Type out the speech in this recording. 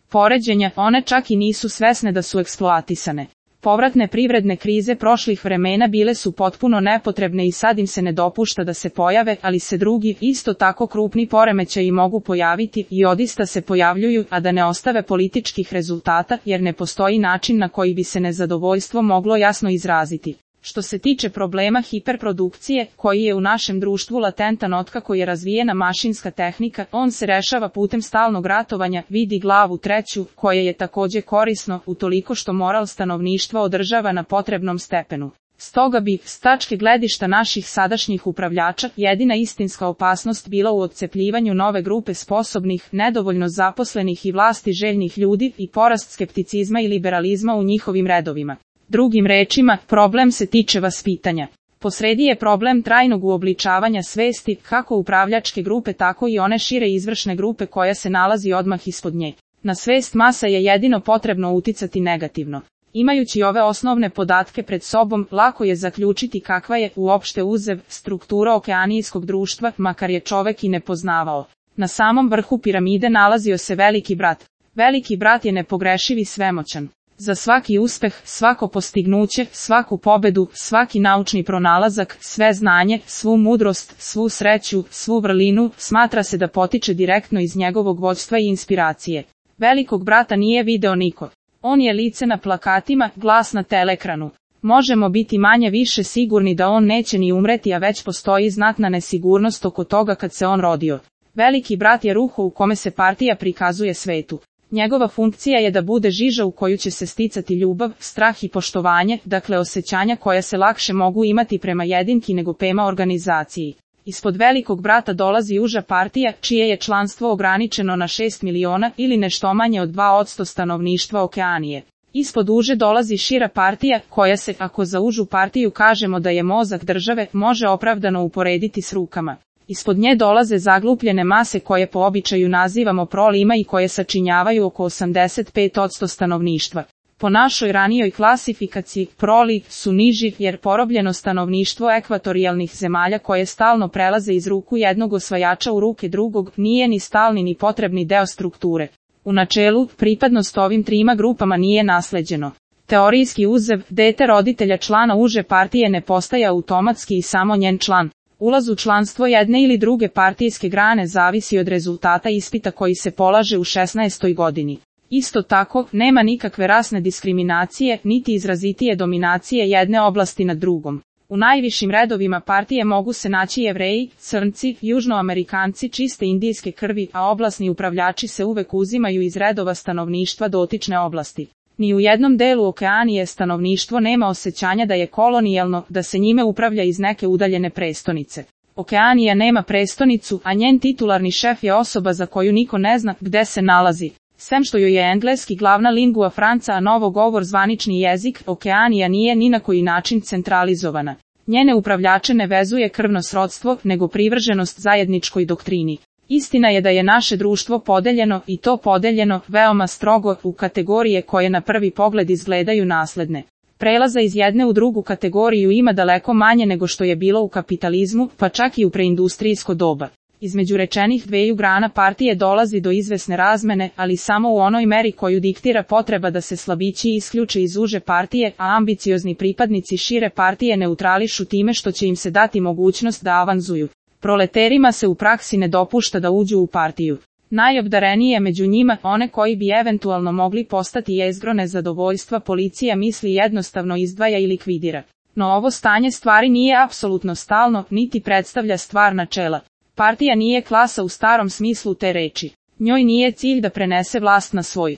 poređenja, one čak i nisu svesne da su eksploatisane. Povratne privredne krize prošlih vremena bile su potpuno nepotrebne i sad im se ne dopušta da se pojave, ali se drugi, isto tako krupni poremećaji mogu pojaviti i odista se pojavljuju, a da ne ostave političkih rezultata, jer ne postoji način na koji bi se nezadovoljstvo moglo jasno izraziti. Što se tiče problema hiperprodukcije, koji je u našem društvu latentan otkako je razvijena mašinska tehnika, on se rešava putem stalnog ratovanja, vidi glavu 3, koje je takođe korisno, utoliko što moral stanovništva održava na potrebnom stepenu. Stoga bi, s tačke gledišta naših sadašnjih upravljača, jedina istinska opasnost bila u odcepljivanju nove grupe sposobnih, nedovoljno zaposlenih i vlasti željnih ljudi i porast skepticizma i liberalizma u njihovim redovima. Drugim rečima, problem se tiče vaspitanja. Posredi je problem trajnog uobličavanja svesti, kako upravljačke grupe tako i one šire izvršne grupe koja se nalazi odmah ispod nje. Na svest masa je jedino potrebno uticati negativno. Imajući ove osnovne podatke pred sobom, lako je zaključiti kakva je, uopšte uzev, struktura okeanijskog društva, makar je čovek i ne poznavao. Na samom vrhu piramide nalazio se Veliki brat. Veliki brat je nepogrešiv i svemoćan. Za svaki uspeh, svako postignuće, svaku pobedu, svaki naučni pronalazak, sve znanje, svu mudrost, svu sreću, svu vrlinu, smatra se da potiče direktno iz njegovog vođstva i inspiracije. Velikog brata nije video niko. On je lice na plakatima, glas na teleekranu. Možemo biti manje više sigurni da on neće ni umreti, a već postoji znatna nesigurnost oko toga kad se on rodio. Veliki brat je ruho u kome se partija prikazuje svetu. Njegova funkcija je da bude žiža u koju će se sticati ljubav, strah i poštovanje, dakle osjećanja koja se lakše mogu imati prema jedinki nego prema organizaciji. Ispod Velikog brata dolazi uža partija, čije je članstvo ograničeno na 6 miliona ili nešto manje od 2% stanovništva Okeanije. Ispod uže dolazi šira partija, koja se, ako za užu partiju kažemo da je mozak države, može opravdano uporediti s rukama. Ispod nje dolaze zaglupljene mase koje po običaju nazivamo prolima i koje sačinjavaju oko 85% stanovništva. Po našoj ranijoj klasifikaciji, proli su niži jer porobljeno stanovništvo ekvatorijalnih zemalja koje stalno prelaze iz ruku jednog osvajača u ruke drugog nije ni stalni ni potrebni deo strukture. U načelu, pripadnost ovim trima grupama nije nasleđeno. Teorijski uzev, dete roditelja člana uže partije ne postaje automatski i samo njen član. Ulaz u članstvo jedne ili druge partijske grane zavisi od rezultata ispita koji se polaže u 16. godini. Isto tako, nema nikakve rasne diskriminacije, niti izrazitije dominacije jedne oblasti nad drugom. U najvišim redovima partije mogu se naći Jevreji, Crnci, Južnoamerikanci čiste indijske krvi, a oblasni upravljači se uvek uzimaju iz redova stanovništva dotične oblasti. Ni u jednom delu Okeanije stanovništvo nema osjećanja da je kolonijalno, da se njime upravlja iz neke udaljene prestonice. Okeanija nema prestonicu, a njen titularni šef je osoba za koju niko ne zna gde se nalazi. Sem što joj je engleski glavna lingua franca, a novogovor zvanični jezik, Okeanija nije ni na koji način centralizovana. Njene upravljače ne vezuje krvno srodstvo, nego privrženost zajedničkoj doktrini. Istina je da je naše društvo podeljeno, i to podeljeno, veoma strogo, u kategorije koje na prvi pogled izgledaju nasledne. Prelaza iz jedne u drugu kategoriju ima daleko manje nego što je bilo u kapitalizmu, pa čak i u preindustrijsko doba. Između rečenih dveju grana partije dolazi do izvesne razmene, ali samo u onoj meri koju diktira potreba da se slabići isključe iz uže partije, a ambiciozni pripadnici šire partije neutrališu time što će im se dati mogućnost da avanzuju. Proleterima se u praksi ne dopušta da uđu u partiju. Najobdarenije među njima, one koji bi eventualno mogli postati jezgro nezadovoljstva, policija misli jednostavno izdvaja i likvidira. No ovo stanje stvari nije apsolutno stalno, niti predstavlja stvar načela. Partija nije klasa u starom smislu te reči. Njoj nije cilj da prenese vlast na svoj